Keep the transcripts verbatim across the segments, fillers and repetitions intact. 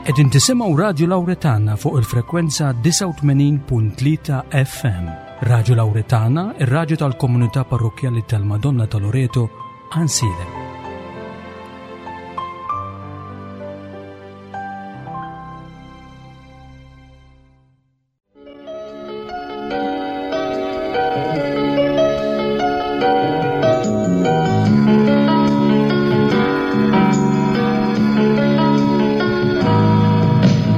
Qegħdin tisimgħu Radio Lauretana fuq il-frekwenza disgħa u tmenin punt tlieta F M. Radio Lauretana, ir-radju tal-komunità parrokjali tal-Madonna ta' Loreto, Għajnsielem.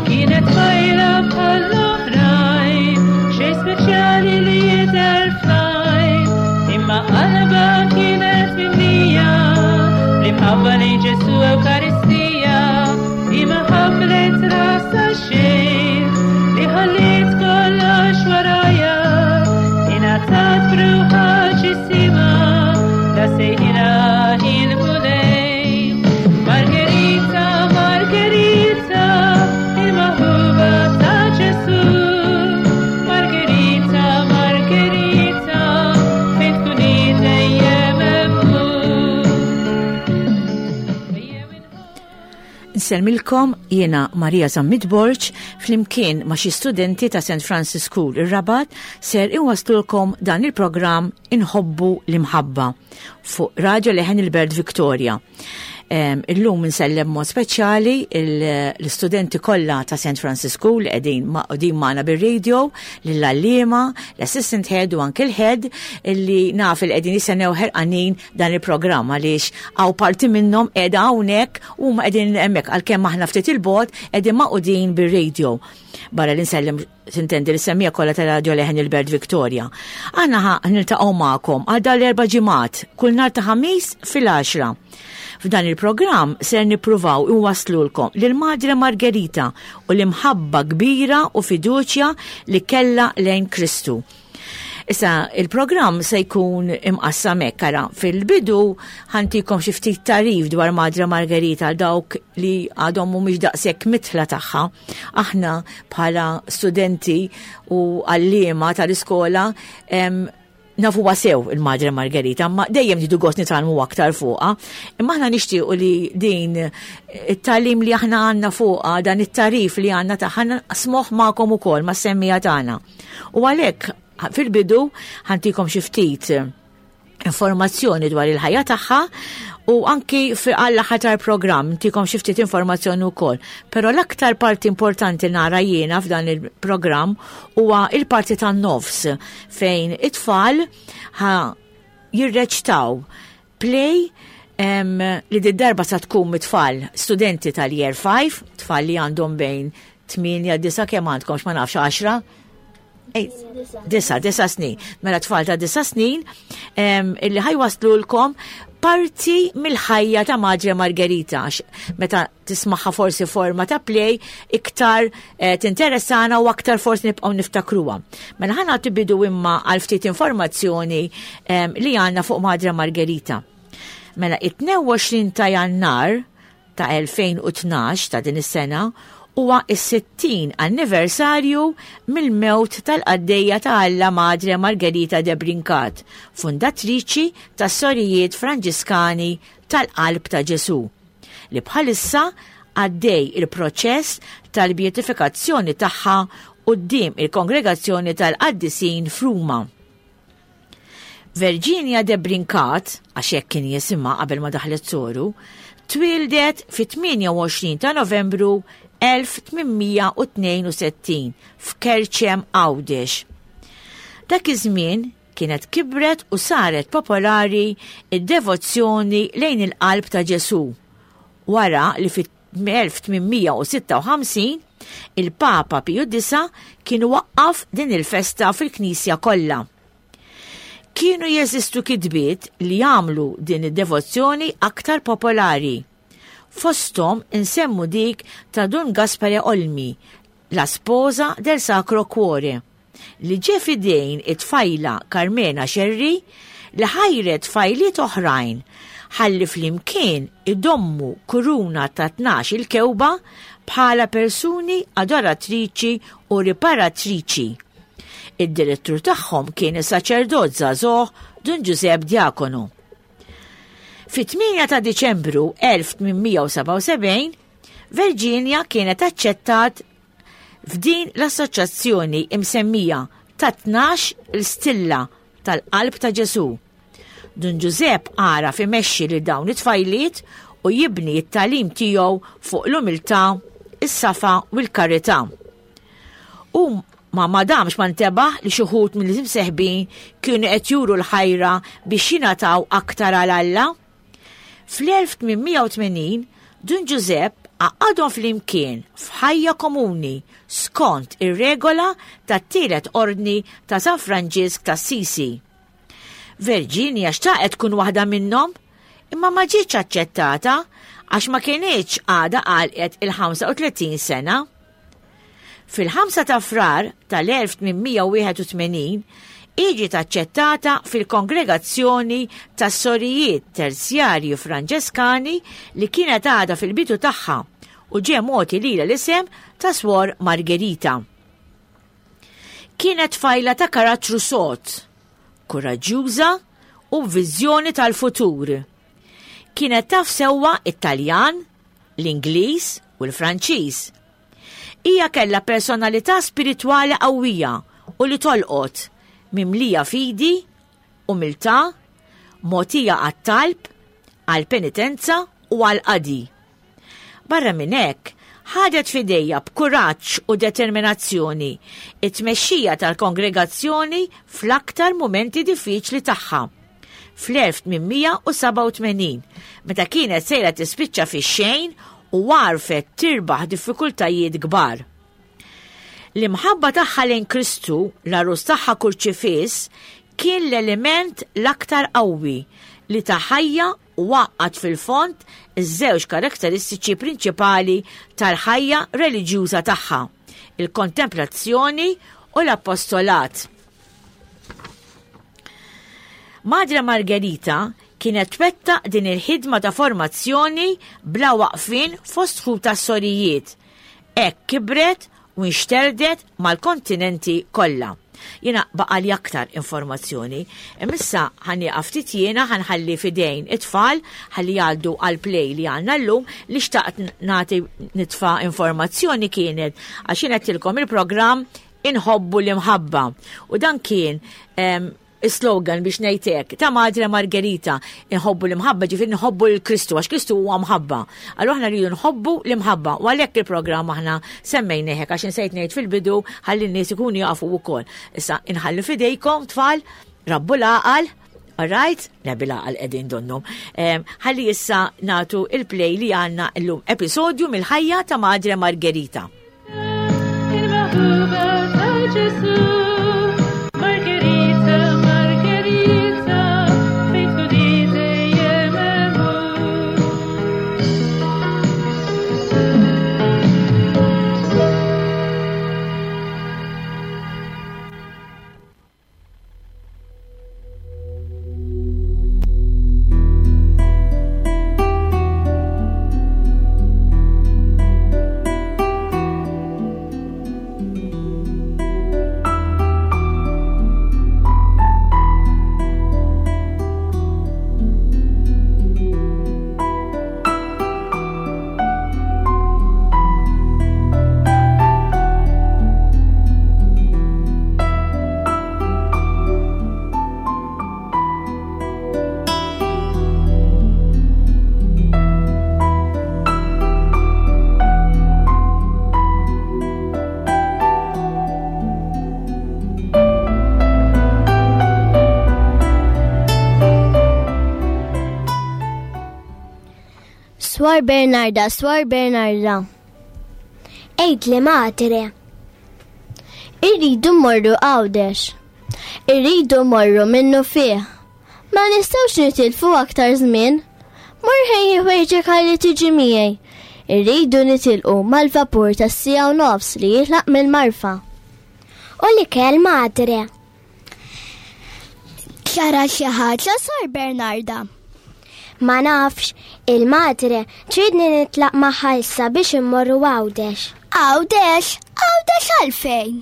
Kienet tfajla bħall-oħrajn, xejn speċjali li jidher fl-għajn, imma qalbha kienet mimlija bl-imħabba lejn Ġesù Ewkaristija, imma ħamlet rasha xejn li ħalliet kollox warajha, ingħatat b'ruħha ġisimha la sejħilha il-Mulej. Margherita, Margherita, il-maħbuba ta' Ġesù. Margherita, Margherita, fejn tkuni dejjem hemm hu. Nsellmilkom, jiena Maria Zammit Borg, flimkien ma' xi studenti ta' Saint Francis School ir-Rabat ser inwaslulkom dan il-programm Inħobbu l-Imħabba fuq Radio Leħen il-Belt Victoria. Em, Illum nsellem mod speċjali il- l-istudenti kollha ta' Saint Francis School qegħdin magħqudin magħna bir-radio, lill-għalliema, l-assistant head u anke l-head illi naf il qegħdin jistennew ħerqanin dan il-programm għaliex hawn parti minnhom qiegħda hawnhekk u huma qegħdin hemmhekk, għalkemm aħna ftit il-bogħod qegħdin magħqudin bir-radio. Barra li nsellem tintendi l-semmiegħa kollha ta' Radio Leħen il-Belt Victoria. Aħna ħa niltaqgħu magħkom għal dan l-erba' ġimgħat kull nhar ta' Ħamis fil-għaxra. F'dan il-programm ser nippruvaw inwaslulkom lil Madre Margherita u l-imħabba kbira u fiduċja li kella lejn Kristu. Issa, il-programm se jkun imqassam hekk, ara, fil-bidu ħa ntikom xi ftit tagħrif dwar Madre Margherita għal dawk li għadhom mhumiex daqshekk midħla tagħha. Aħna bħala studenti u għalliema tal-iskola em, nafu sew il-Madre Margherita, ma dejjem nieħdu gost nitgħallmu aktar fuqha. Imma aħna nixtiequ li din it-tagħlim li aħna għandna fuqha, dan it-tagħrif li għandna tagħha naqsmuh magħkom ukoll mas-semmiegħa tagħna. U għalhekk fil-bidu ħa ntikom xi ftit informazzjoni dwar il-ħajja tagħha u anki għall-aħħar tal-programm ntikom xi ftit informazzjoni wkoll. Però l-aktar parti importanti nara jiena f'dan il-programm huwa il-parti tan-nofs fejn it-tfal ħa jirreċtaw play em, li d-darba sa tkun mit-tfal studenti tal-year five, tfal li għandhom bejn tmienja, disgħa, kemm għandkom, ma nafx, għaxra? Ej, disa, disa snin. Mela tfal ta' disa snin em, illi ħa jwasslulkom parti mill-ħajja ta' Madre Margherita. Għax meta tismagħha forsi forma ta' play, iktar eh, tinteressana u aktar forsi nibqgħu niftakruha. Mela ħa nagħti bidu imma għal ftit informazzjoni em, li għandna fuq Madre Margherita. Mela it-tnejn u għoxrin ta' Jannar ta' elfejn u tnax ta' din is-sena huwa is-sittin anniversarju mill-mewt tal-qaddejja ta' Alla Madre Margherita de Brincat, fundatriċi tas-Sorijiet Franġiskani tal-Qalb ta' Ġesu, li bħalissa għaddej il-proċess tal-beatifikazzjoni tagħha quddiem il-Kongregazzjoni tal-Qaddisin f'Ruma. Virginia de Brincat, għax hekk kien jisimha qabel ma daħlet soru, twildet fit-tmienja u għoxrin ta' Novembru elf tmien mija u tnejn u sittin f'Kerċem, Għawdex. Dak iż-żmien kienet kibret u saret popolari id-devozzjoni lejn il-qalb ta' Ġesu. Wara li fit-elf tmien mija u sitta u ħamsin il-Papa Piju Disa kien waqqaf din il-festa fil-Knisja kollha. Kienu jeżistu kitbiet li jagħmlu din id-devozzjoni aktar popolari. Fostom insemmu dik ta' Dun Gaspare Olmi, La Sposa del Sacro Cuore, li ġie f'idejn it-tfajla Carmena Scerri li ħajret tfajliet oħrajn ħalli flimkien idommu kuruna ta' tnax il-kewba bħala persuni adoratriċi u riparatriċi. Id-direttur tagħhom kien is-saċerdot żagħżugħ Dun Giuseppe Diacono. Fit-tmienja ta' Diċembru elf tmien mija u sebgħa u sebgħin, Virginia kienet aċċettat f'din l-assoċjazzjoni imsemmija ta' tnax il-stilla tal-qalb ta' Ġesu. Dun Ġużepp għaraf imexxi lil dawn it-tfajliet u jibni t-tagħlim tiegħu fuq l-umiltà, is-safa u l-karità. U ma madamx ma ntebaħ li xi wħud mill-imseħbin kienu qed juru l-ħajra biex jingħataw aktar għal Alla. Fl-elf tmien mija u tmenin Dun Ġużepp għaqqadhom flimkien f'ħajja komuni skont ir-regola tat-tielet ordni ta' San Franġisk ta' Sisi. Virginia xtaqet tkun waħda minnhom, imma ma ġietx aċċettata għax ma kienx għadha għalqet il-ħamsa u tletin sena. Fil-ħamsa ta' Frar tal-elf tmien mija u wieħed u tmenin ġiet aċċettata fil-kongregazzjoni tas-sorijiet terzjarji Franġeskani li kienet għadha fil-bidu tagħha u ġie mogħti lilha l-isem ta' Swor Margherita. Kienet tfajla ta' karattru sod, kuraġġjuża u b'viżjoni tal-futur. Kienet taf sewwa it-Taljan, l-Ingliż u l-Franċiż. Hija kellha personalità spiritwali qawwija u li tolqot, mimlija fidi, umiltà, mogħtija għat-talb, għall-penitenza u għall-qadi. Barra minn hekk, ħadet f'idejha b'kuraġġ u determinazzjoni it-tmexxija tal-kongregazzjoni fl-aktar mumenti diffiċli tagħha. Fl-elf tmien mija u sebgħa u tmenin, meta kienet sejra tispiċċa fix-xejn u għarfet tirbaħ diffikultajiet kbar. L-imħabba tagħha lejn Kristu, l-għarus tagħha kurċifiss, kien l-element l-aktar qawwi li ta ħajja u għaqqad fil-fond iż-żewġ karakteristiċi prinċipali tal-ħajja reliġjuża tagħha, il-kontemplazzjoni u l-apostolat. Madre Margherita kienet twettaq din il-ħidma ta' formazzjoni bla waqfin fost ħuta sorijiet. Hekk kibret u nxterdet mal-kontinenti kollha. Jiena baqali aktar informazzjoni. Imissa ħa nieqaf ftit jiena, ħa nħalli f'idejn it-tfal ħalli jgħaddu għal play li għandna llum. Li xtaqt nagħti nitfa' informazzjoni kienet għax jien għedtilkom il-programm Inħobbu l-Imħabba. U dan kien, em, slogan biex ngħidlek ta' Madre Margherita, inħobbu l-imħabba, ġifieri nħobbu l-Kristu, għax Kristu huwa mħabba. Allura aħna rridu nħobbu l-imħabba, u għalhekk il-programm aħna semmejnieh hekk, għax insejt ngħid fil-bidu ħalli n-nies ikunu jafu wkoll. Issa inħalli f'idejkom tfal, rabbu l-għaqal, all right? Le bil-għaqal qegħdin donnhom. Em, ħalli issa nagħtu il-play li għandna llum, episodju mill-ħajja ta' Madre Margherita. Il-maħbuba ta' Ġesu, Margherita, Margherita, fejn tkun dejjem hemm hu. Swor Bernarda, Swor Bernarda. Għidli Madre. Irridu mmorru Għawdex. Irridu mmorru minnufih. Ma nistgħux nitilfu aktar żmien. Mur ħejji ħwejġek ħalli tiġi miegħi. Irridu nitilqu mal-vapur tas-siegħa u nofs li jitlaq mill-Marfa. U l-ikel Madre. Ġara xi ħaġa, Swor Bernarda? Ma nafx, il-madre tridni nitlaq magħha issa biex immorru Għawdex. Għawdex? Għawdex għalfejn?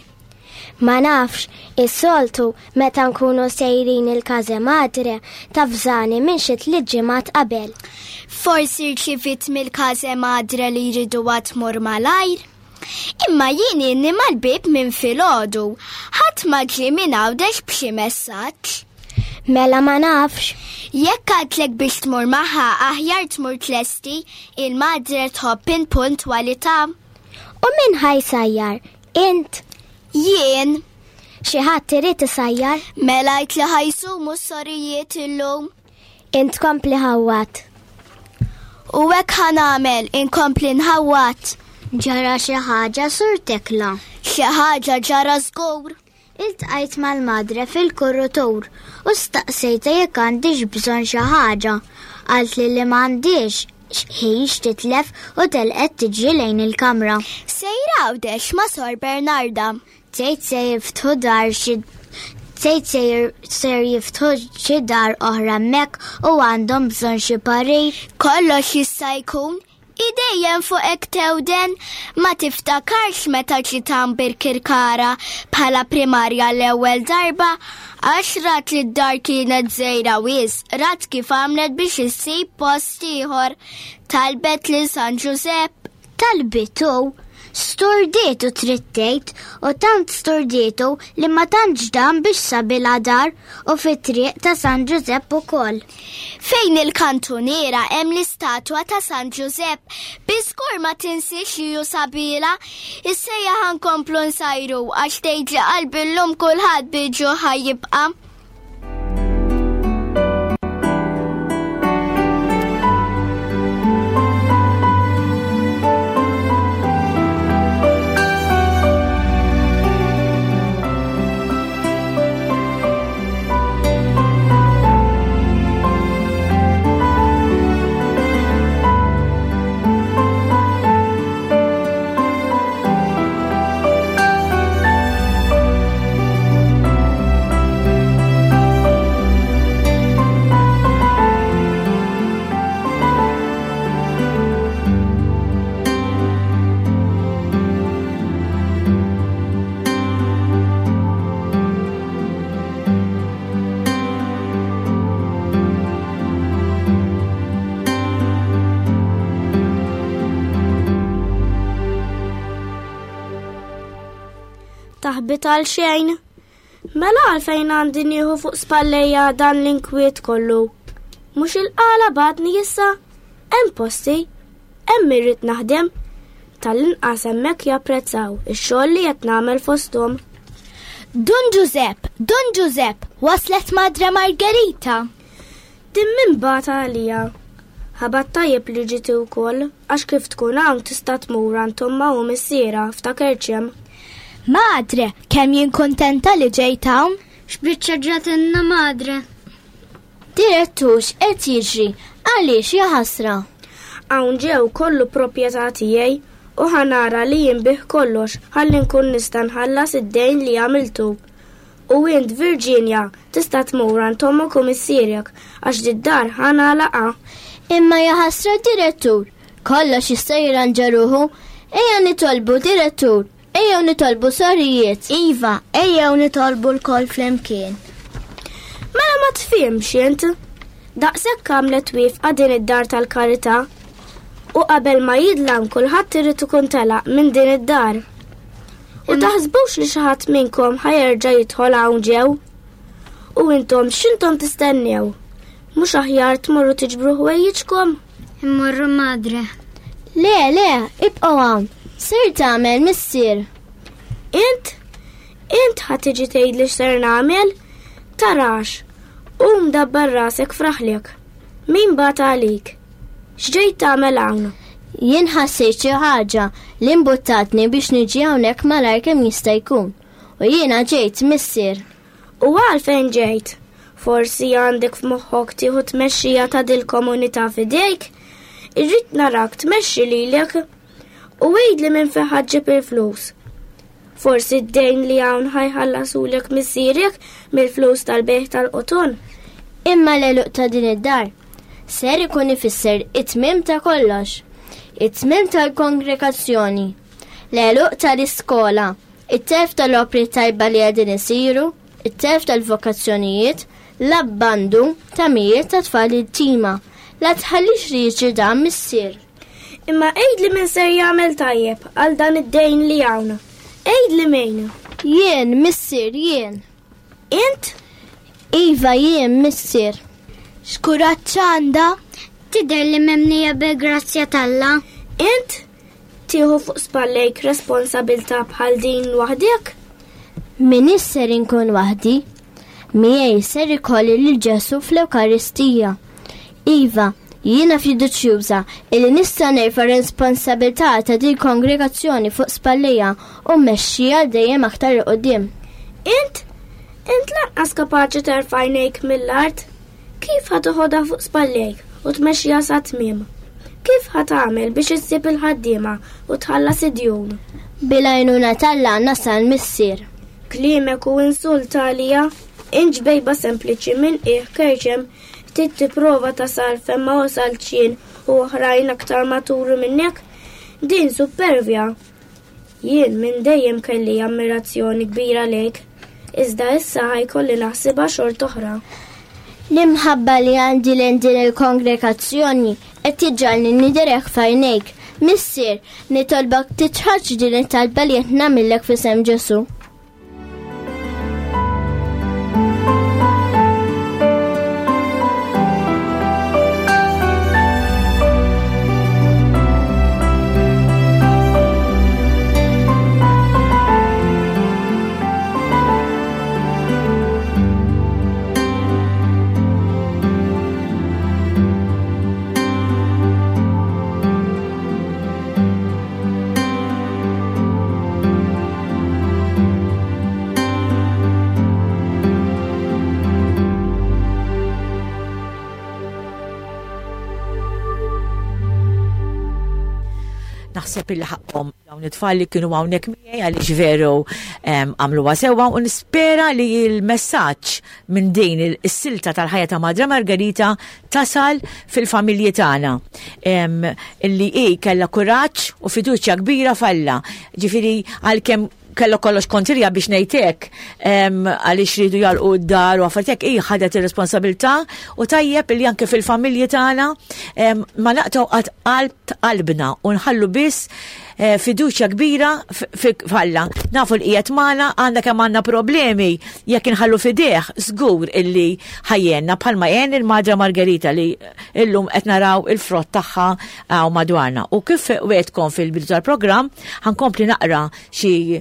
Ma nafx, is-soltu meta nkunu sejrin il-Casa Madre tafżani minn xi tliet ġimgħat qabel. Forsi rċivit mill-Casa Madre li jridu tmur malajr. Imma jien inni mal-bib minn filgħodu, ħadd ma ġie minn Għawdex b'xi messaġġ. Mela ma nafx. Jekk għadlek biex tmur magħha aħjar tmur tlesti, il-madre tħobb in-puntwalità. U min ħa jsajjar? Int? Jien. Xi ħadd irid isajjar? Mela għidt li ħa jsumu s-sorijiet illum. Int kompli ħawwat. U hekk ħa nagħmel, inkompli nħawwat. Ġara xi ħaġa Sur Tekla. Xi ħaġa ġara żgur. Iltqajt mal-madre fil-korrutur u staqsejta jekk għandix bżonn xi ħaġa. Qalt li li m'għandix ħin x'titlef u telqet tiġri lejn il-kamra. Sejra Għawdex ma' Sor Bernarda. Tgħid se jiftħu dar xi tgħid se jiftħu xi dar oħra hemmhekk u għandhom bżonn xi parir. Kollox jista' jkun. Idejjem fuq hekk tewden, ma tiftakarx meta ġiet Birkirkara bħala primarja l-ewwel darba, għax rat li d-dar kienet żgħira wisq, rat kif għamlet biex issib post ieħor. Talbet lil San Ġużepp. Talbitu, sturdietu trid tgħid, u tant sturdietu li ma tantx dam biex sabilha dar u fit-triq ta' San Ġużepp ukoll. Fejn il-kantuniera hemm l-istatwa ta' San Ġużepp, biżgur ma tinsiex li hu sabila. Issejja ħa nkomplu nsajru għax tgħid li qalbi llum kulħadd bil-ġuħ ħa jibqa'. Taħbit għal xejn. Mela għalfejn għandi nieħu fuq spallejja dan l-inkwiet kollu. Mhux il-qala badni issa, hemm posti, hemm irrid naħdem. Tal-inqas hemmhekk japprezzaw ix-xogħol li qed nagħmel fosthom. Dun Ġużepp, Dun Ġużepp, waslet Madre Margherita. Din min bata għalija. Ħabat tajjeb li ġieti wkoll, għax kif tkun hawn tista' tmur għand ommha u missierha ftakar ċemm. Madre, kemm jien kontenta li ġejt hawn? X'biċċa ġratilna Madre? Direttur, x'qed jiġri? Għaliex ja ħasra? Hawn ġew kollu proprjetà tiegħi u ħanara li jinbih kollox ħalli nkun nista' nħallas id-dejn li għamiltu. U int Virginia tista' tmur għand ommok u missierek għax did-dar ħanalaqa. Imma ja ħasra direttur, kollox jista' jirranġa ruħu. Ejja nitolbu direttur. Ejjew nitolbu sorijiet. Iva, ejjew nitolbu lkoll flimkien. Mela ma tfihmx int. Daqshekk għamlet wifqa din id-dar tal-karità. U qabel ma jidlam kulħadd irid ikun telaq minn din id-dar. U taħsbux li xi ħadd minnkom ħa jerġa' jidħol hawn ġew. U intom x'intom tistennew? Mhux aħjar tmorru tiġbru ħwejjiġkom? Immorru Madre. Le, le, ibqgħu hawn. Ser tagħmel missier. Int? Int ħa tiġi tgħidli x'ser nagħmel? Tarax. Qum dabbar rasek fraħlek. Min bagħat għalik? X'ġejt tagħmel hawn? Jien ħassejt xi ħaġa li mbuttatni biex niġi hawnhekk malajr kemm jista' jkun. U jiena ġejt missier. U għalfejn ġejt? Forsi għandek f'moħħok tieħu tmexxija ta' dil-komunità f'idejk? Irrid narak tmexxi lilek u għidli minn fejn ħa ġġib il-flus. Forsi d-dejn li hawn ħajħallasulek missierek mill-flus tal-bejgħ tal-qoton. Imma l-għeluq ta' din id-dar ser ikun ifisser it-tmiem ta' kollox, it-tmiem tal-kongregazzjoni, l-għeluq tal-iskola, It-telf tal-opri tajba li qegħdin isiru, it-telf tal-vokazzjonijiet, l-abbandun ta' mijiet ta' tfal tima. La tħallix li jiġri dan, missier. Imma għidli min ser jagħmel tajjeb għal dan id-dejn li hawn. Għidli min. Jien, missier, jien. Int? Iva, jien, missier. X'kuraġġ għandha? Tidher li mimlija bil-grazzja t'Alla. Int? Tieħu fuq spallejk responsabilta bħal din waħdek? M'iniex ser inkun waħdi. Miegħi ser ikolli lil Ġesu fl-Ewkaristija. Iva, jiena fiduċjuża illi nista' nerfa' responsabilità ta' din kongregazzjoni fuq spallejja u mmexxiha dejjem aktar 'il quddiem. Int? Int lanqas kapaċi terfa' għajnejk mill-art? Kif ħa toħodha fuq spallejk u tmexxiha sa tmiem? Kif ħa tagħmel biex issib il-ħaddiema u tħallas id-djun? Bil-għajnuna t'Alla nasal, missier. Kliemek hu insult għalija, int ġbejba sempliċi minn qiegħ Kerċem trid tipprova tasal fejn ma wasalt jien u oħrajn aktar maturi minnek? Din supervja. Jien minn dejjem kelli ammirazzjoni kbira lejk, iżda issa ħa jkolli naħsibha xort oħra. L-imħabba li għandi lejn din il-kongregazzjoni qed tiġġagħalni nidher hekk f'għajnejk. Missier, nitolbok tiċħadx din it-talba li qed nagħmillek f'isem Ġesu. Naħseb illi ħaqhom dawn it-tfal li kienu hawnhekk miegħi għaliex veru, em, għamluha sewwa u nispera li l-messaġġ minn din is-silta tal-ħajja ta' Madre Margherita tasal fil-familji tagħna. Em, illi hi kellha kuraġġ u fiduċja kbira f'Alla. Ġifieri għalkemm kellu kollox kontrija biex ngħidlek, em, għaliex ridu jalqu d-dar u affarijiet, hi ħadet ir-responsabilità u tajjeb li anke fil-familji tagħna, em, ma naqtgħu qatt qalb qalbna u nħallu biss, eh, fiduċja kbira f-, f-, f'Alla. Nafu li qiegħed magħna, għandna kemm għandna problemi, jekk inħallu fideh żgur illi ħajjenna bħalma għen il-Madre Margherita li illum qed naraw il-frott tagħha hawn madwarna. U kif wegħedtkom fil-bidu tal-programm, ħankompli naqra xi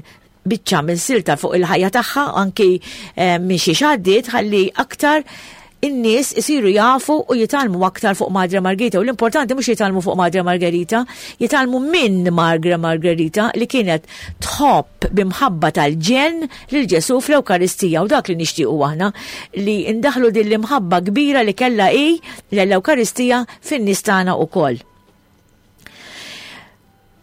biċċa minn silta fuq il-ħajja tagħha anki, eh, minn xi xaddiet ħalli aktar in-nies isiru jafu u jitgħallmu aktar fuq Madre Margherita. U l-importanti mhux jitgħallmu fuq Madre Margherita, jitgħallmu minn Madre Margherita li kienet tħobb b'imħabba tal-ġenn lil Ġesu fl-Ewkaristija, u dak li nixtiequ aħna li ndaħlu din l-imħabba kbira li kellha hi l-Ewkaristija fin-nies tagħna wkoll.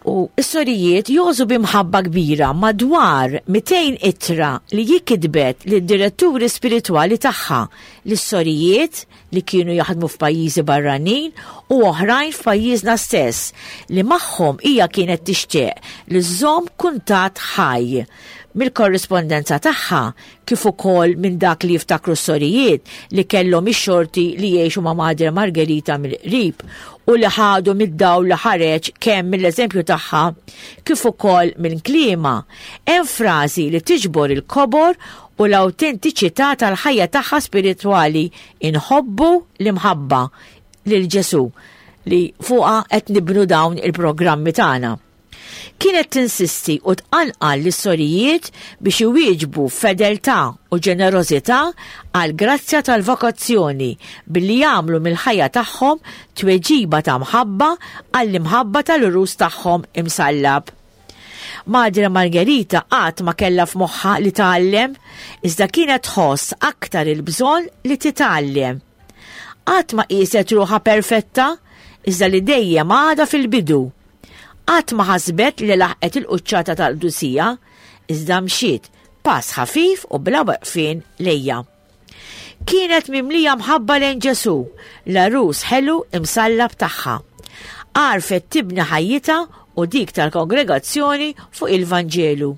U s-sorijiet jożu b'imħabba kbira madwar mitejn ittra li jikitbet lid-diretturi spiritwali tagħha, lis-sorijiet li kienu jaħdmu f'pajjiżi barranin u oħrajn f'pajjiżna stess, li magħhom hija kienet tixtieq li żżomm kuntatt ħaj. Mill-korrispondenza tagħha kif ukoll minn dak li jiftakru s-sorijiet li kellhom ix-xorti li jgħixu ma' Madre Margherita mill-qrib u li ħadu mid-dawl li ħareġ kemm mill-eżempju tagħha kif ukoll minn kliema, hemm frażi li tiġbor il-kobor u l-awtentiċità tal-ħajja tagħha spiritwali: inħobbu l-imħabba lil Ġesu, li fuqha qed nibnu dawn il-programmi tagħna. Kienet tinsisti u tqanqal lis-sorijiet biex iwieġbu fedeltà u ġenerożità għal grazzja tal-vokazzjoni billi jagħmlu mill-ħajja tagħhom tweġiba ta' mħabba għall-imħabba tal-urus tagħhom imsallab. Madre Margherita qatt ma kellha f'moħħha li tgħallem, iżda kienet tħoss aktar il-bżonn li titgħallem. Qatt ma qieset ruħha perfetta, iżda li dejjem għadha fil-bidu. Qatt ma ħasbet li laħqet il-quċċata tal-qdusija, iżda mxiet pass ħafif u bla waqfien lejja. Kienet mimlija mħabba lejn Ġesu, l-għarus ħelu imsallab tagħha. Għarfet tibni ħajjitha u dik tal-kongregazzjoni fuq il-Vanġelu.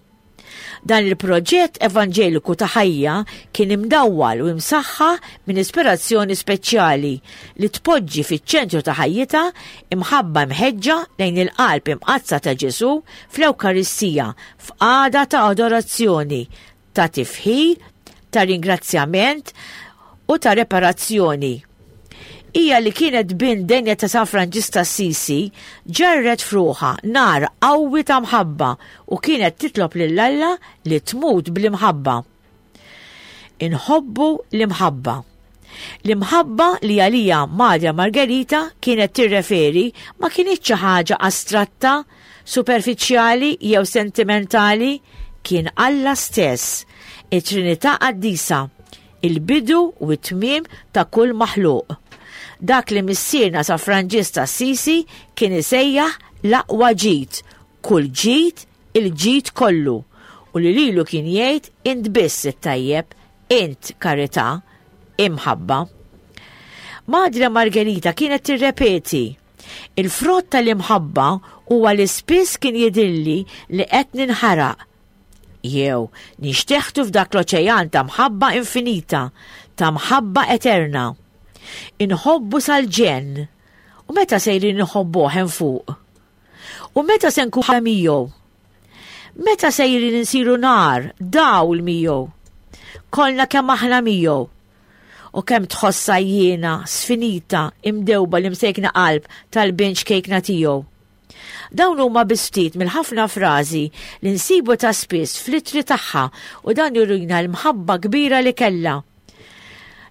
Dan il-proġett evanġeliku ta' ħajja kien imdawwal u imsaħħa minn ispirazzjoni speċjali li tpoġġi fiċ-ċentru ta' ħajjitha imħabba mħeġġa lejn il-qalb imqaddsa ta' Ġesù fl-Ewkaristija f'qagħda ta' adorazzjoni, ta' tifħir, ta' ringrazzjament u ta' reparazzjoni. Hija li kienet bint denja ta' San Franġisk ta' Assisi ġarret f'ruħha nar qawwi ta' mħabba u kienet titlob lil Alla li tmut bl-imħabba. Inħobbu l-imħabba. L-imħabba li għalija Madre Margherita kienet tirreferi ma kinitx xi ħaġa astratta, superfiċjali jew sentimentali, kien Alla stess, it-Trinità Qaddisa, il-bidu u t-tmiem ta' kull maħluq. Dak li missierna San Franġisk ta' Assisi kien isejjaħ l-aqwa ġid, kull ġid, il-ġid kollu, u li lilu kien jgħid int biss it-tajjeb, int karità, imħabba. Madre Margherita kienet tirrepeti, il-frott tal-imħabba huwa li spiss kien jidhirli li qed ninħaraq, jew nixteħtu f'dak l-oċean ta' mħabba infinita, ta' mħabba eterna. Inħobbu sal-ġenn, u meta sejrin inħobbuh hemm fuq? U meta se nkunu miegħu? Meta sejrin insiru nar, dawl miegħu? Kollna kemm aħna miegħu. U kemm tħossha jiena, sfinita, imdewba li msejkna qalb tal-bint ċkejkna tiegħu. Dawn huma biss ftit mill-ħafna frażi li nsibu ta' spiss fl-ittri tagħha u dan jurina l-mħabba kbira li kellha.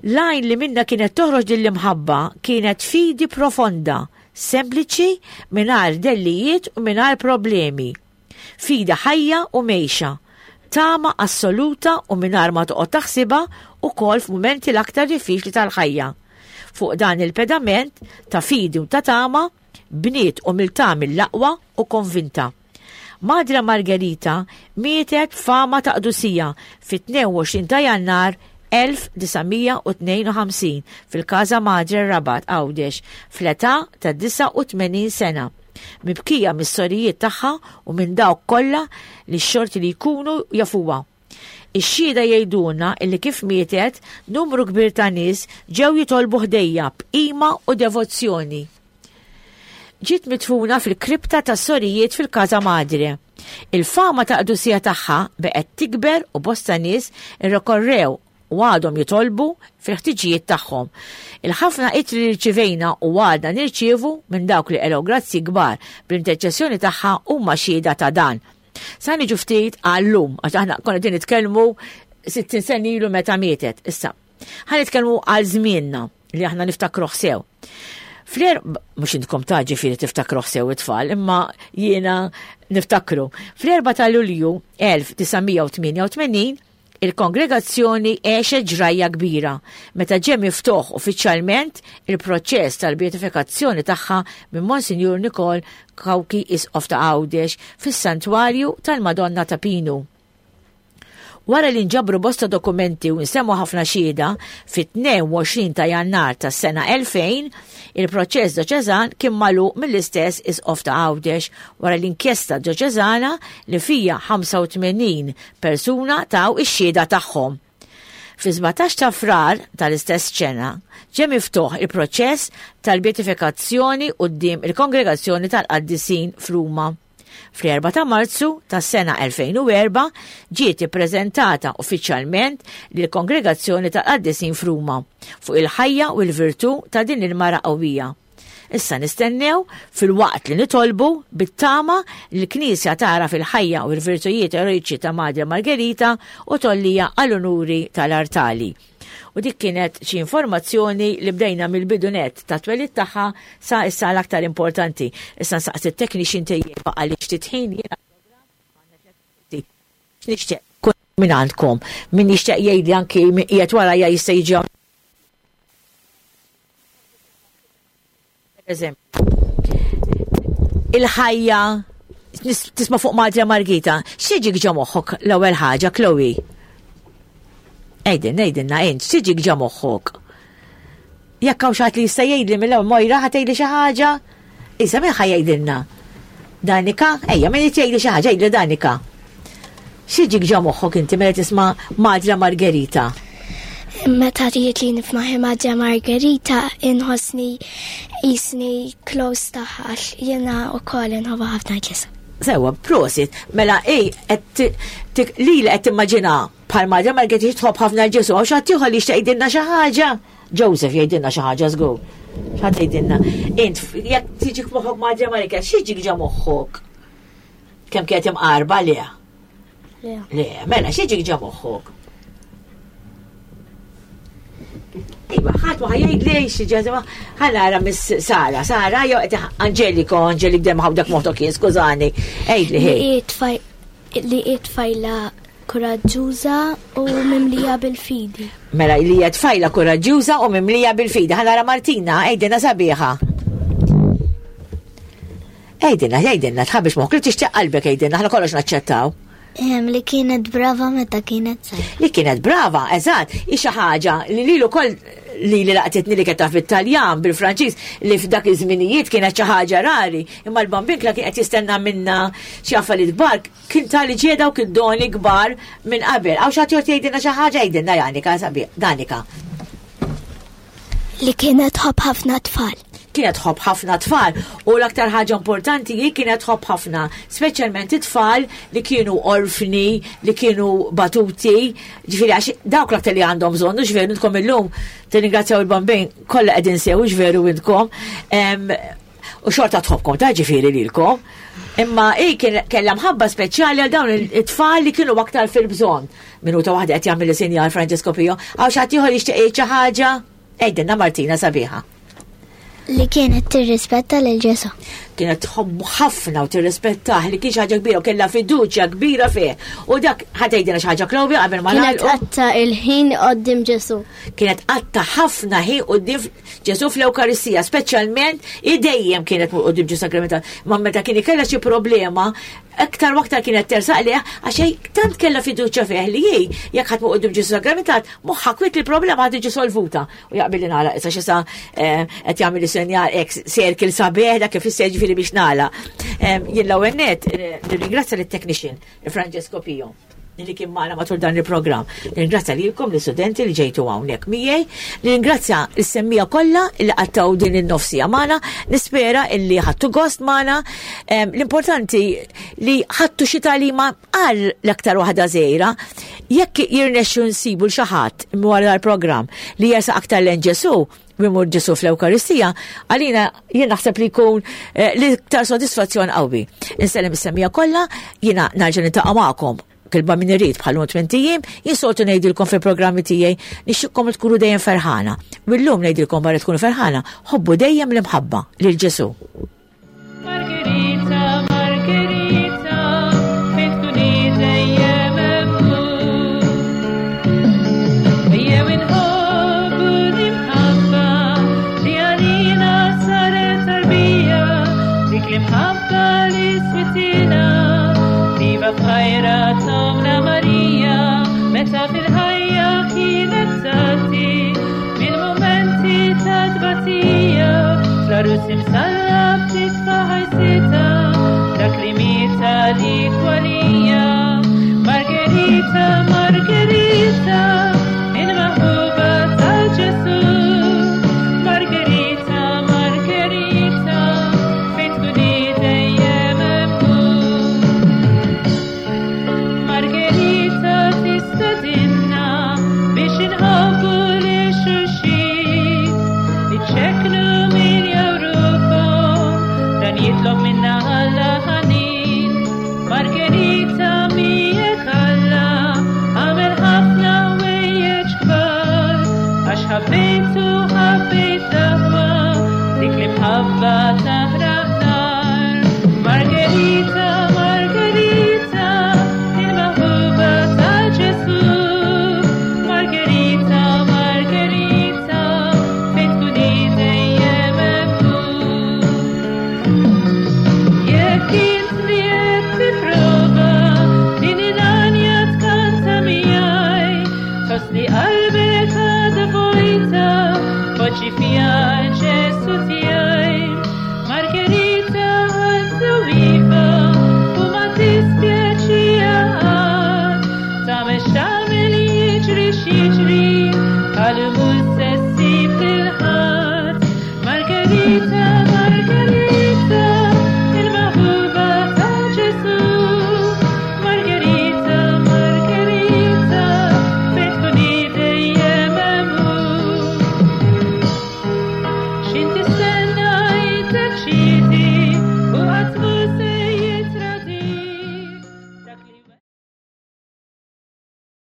L-għajn li minna kienet toħroġ din l-imħabba kienet fidi profonda, sempliċi, mingħajr dellijiet u mingħajr problemi. Fidi ħajja u mejxa, tama assoluta u mingħajr ma toqgħod taħsibha ukoll f'mumenti l-aktar diffiċli tal-ħajja. Fuq dan il-pedament ta' fidi u ta' tama, bniet umiltà mill-aqwa u konvinta. Madre Margherita mietet fama ta' qdusija fit-tnejn u għoxrin ta' Jannar elf disa' mija u tnejn u ħamsin fil-Casa Madre Rabat Għawdex fl-età ta' disgħa u tmenin sena, mibkija mis-sorijiet tagħha u minn dawk kollha li x-xorti li jkunu jafuha. Ix-xhieda jgħidulna illi kif mietet numru kbir ta' nies ġew jitolbu ħdejja b'qima u devozzjoni. Ġiet midfuna fil-kripta tas-sorijiet fil-Casa Madre. Il-fama ta' qdusija tagħha beqgħet tikber u bosta nies irrikorrew u għadhom jitolbu fil-ħtiġijiet tagħhom. Il-ħafna ittri li rċivejna u għadna nirċievu minn dawk li qelgħu grazzi kbar bl-interċessjoni tagħha huma xhieda ta' dan. Sa niġu ftit għallum, għax aħna konna qegħdin nitkellmu sittin sena ilu meta mietet. Issa, ħa nitkellmu għal żmienna li aħna niftakruh sew. Fl-er, mhux intkom ta' ġifieri tiftakruh sew it-tfal, imma jiena niftakru. Fl-erba' ta' Lulju elf disa' mija u tmienja u tmenin, il-kongregazzjoni għexet ġrajja kbira meta ġie miftuħ uffiċjalment il-proċess tal-beatifikazzjoni tagħha minn Monsinjur Nikol Cauchi Isqof ta' Għawdex fis-Santwarju tal-Madonna ta' Pinu. Wara li nġabru bosta dokumenti u nsemmu ħafna xhieda, fit-tnejn u għoxrin ta' Jannar tas-sena elfejn, il-proċess dioċesan kien magħluq mill-istess Isqof ta' Għawdex wara l-inkjesta dioċesana li fija ħamsa u tmenin persuna taw ix-xhieda tagħhom. Fi sbatax ta' Frar tal-istess ċena ġie miftuħ il-proċess tal-beatifikazzjoni quddiem il-Kongregazzjoni tal-Qaddisin f'Ruma. Fl-erba' ta' Marzu tas-sena elfejn u erba' ġiet ippreżentata uffiċjalment lill-Kongregazzjoni tal-Qaddisin f'Ruma fuq il-ħajja u l-virtù ta' din il-mara qawwija. Issa nistennew fil-waqt li nitolbu bit-tama li l-Knisja tara fil-ħajja u l-virtujiet eroiċi ta' Madre Margherita u tollija għall-unuri tal-artali. U dik kienet xi informazzjoni li bdejna mill-bidunet ta' twelid tagħha sa issa l-aktar importanti. Issa nsaqsi t-technician tiegħi għaliex titħin jiena nixtieq kun minn għandkom, min jixtieq jgħidli anki min qiegħed warajja jista' jiġi hawn. Per eżempju, il-ħajja nis-, tisma' fuq Madre Margherita, x'jiġik ġo moħħok l-ewwel ħaġa, Chloe? Ejdin, ejdinna, int, x'jiġik ġo moħħok? Jekk hawn xi ħadd li jista' jgħidli mill-ewwel Mojra ħa tgħidli xi ħaġa? Issa min ħa jgħidilna? Danika? Ejja, min jgħidli xi ħaġa, jgħidli Danika. X'jiġik ġo moħħok inti meta tisma' Madre Margherita? Meta trid li nifmaħi Madre Margherita inħossni jisni close tagħha għax jiena wkoll inħobbha ħafna Ġesù. Sewa, prosit. Mela, ej, li li qed timmaġina bħal Madre Margherita tħobb ħafna l-Ġesù, għax ħadd ieħor li jixtieq jgħidilna xi ħaġa. Joseph jgħidilna xi ħaġa żgur. X'ħadd jgħidilna. Int jekk tiġik moħħok Madre Margherita, x'jiġik ġo moħħok? Kemm kienet imqarba le? Le. Le, mela x'jiġik ġo moħħok? Iva, ħadd ma ħajjgħid li xi ġeżma, ħa nara Miss Sara, Sara jew qed Angeliko, Angelik dem ħawdak moħtok jien, skużani. Għidli ħej. Li hi tfaj- li hi tfajla kuraġġuża u mimlija bil-fidi. Mela li hija tfajla kuraġġuża u mimlija bil-fidi. Ħa nara Martina, għidilna sabiħa. Għidilna, għidilna, tħabbix moħħok li tixtieq qalbek għidilna, aħna kollox naċċettaw. Ehm, li kienet brava meta kienet żgħira. Li kienet brava, eżatt, hi xi ħaġa li lilu wkoll li li laqtitni li kienet taf bit-Taljan, bil-Franċiż, li f'dak iż-żminijiet kienet xi ħaġa rari, imma l-Bambin kien qed jistenna minna xi affarijiet kbar, kien tali ġie dawk id-doni kbar minn qabel. Hawn xi ħadd jgħid jgħidilna xi ħaġa, jgħidilna Janika, sabi, Danika. Li kienet tħobb ħafna tfal. Kienet tħobb ħafna tfal u l-aktar ħaġa importanti hi kienet tħobb ħafna, speċjalment it-tfal li kienu orfni, li kienu batuti, ġifieri għax dawk l-aktar li għandhom bżonn, u x'veru intkom illum tirringrazzjaw il-Bambin kollha qegħdin sew, x'veru intkom. Em, u xorta tħobbkom ta' ġifieri lilkom. Imma hi kien kellha mħabba speċjali għal dawn it-tfal li kienu aktar fil-bżonn. Minuta waħda qed jagħmel sinjal Francesco Pio. Hawn xi ħadd ieħor jixtieq jgħid xi ħaġa? Għidilna Martina sabiħa. Li kienet tirrispetta lil Ġesù. Kienet tħobbu ħafna u tirrispettah, li kien xi ħaġa kbira u kellha fiduċja kbira fih. U dak ħa tgħidilna xi ħaġa Chloe qabel ma Kienet nagħlqu. qatta il-ħin quddiem Ġesù. Kienet qatta ħafna ħin quddiem Ġesù fl-Ewkaristija, speċjalment i dejjem kienet quddiem Ġesù Sagramental. Ma meta kien ikella xi problema, aktar u aktar kienet tersaq lejh, għax hi tant kellha fiduċja fih li hi jekk ħadd quddiem Ġesù Sagramental, moħħha kwiet li l-problema ħad tiġi solvuta. U jaqbil li nagħlaq issa x'issa, eh, qed jagħmel sinjal hekk circle sabiħ dak kif issa ġifieri biex nagħlaq. Em, jien l-ewwel nett, eh, nirringrazzja lit-technician Francesco Pio li kien magħna matul dan il-programm. Nirringrazzja lilkom l-istudenti li ġejtu hawnhekk miegħi, nirringrazzja l-semmija kollha li qattaw din in-nofsija magħna, nispera illi ħadtu gost magħna. Em, l-importanti li ħadtu xi tagħlima għal l-aktar waħda żgħira, jekk jirnexxu nsibu l xi ħadd wara l-programm li jersaq aktar lejn Ġesù, imur Ġesù fl-Ewkaristija, għalina jien naħseb li jkun, eh, l-iktar sodisfazzjon qawwi. Insellem is-semmija kollha, jiena nerġa' niltaqa' magħkom kilba min irid bħal lum tmien ijiem, jien soltu ngħidilkom fil-programmi tiegħi nixtieqkom li tkunu dejjem ferħana. U llum ngħidilkom barra tkunu ferħana, ħobbu dejjem l-imħabba lil Ġesù. Margherita, Margherita, fejn tkuni dejjem hemm. Ejjew inħobbu l-imħabba li għalina saret tarbija, dik l-imħabba li switina, viva b'ħajra tomna Marija, meta fil-ħajja kienet tgħaddi mill-mumenti ta' tbatija, fl-għarus imsallab titfa' ħajsitha, dak li miet għalik u għalija. Margherita, Margherita, il-maħbuba ta' Ġesù. Margherita, Margherita, fejn tkuni dejjem hemm. Margherita tistedinna biex inħobbu lil xulxin, iċċekknu min jawruhom, dan jitlob minna Alla ħanin. Margherita miegħek Alla għamel ħafna ħwejjeġ kbar, għax ħabbejtu ħabbejt l-aħwa, dik l-imħabba ta'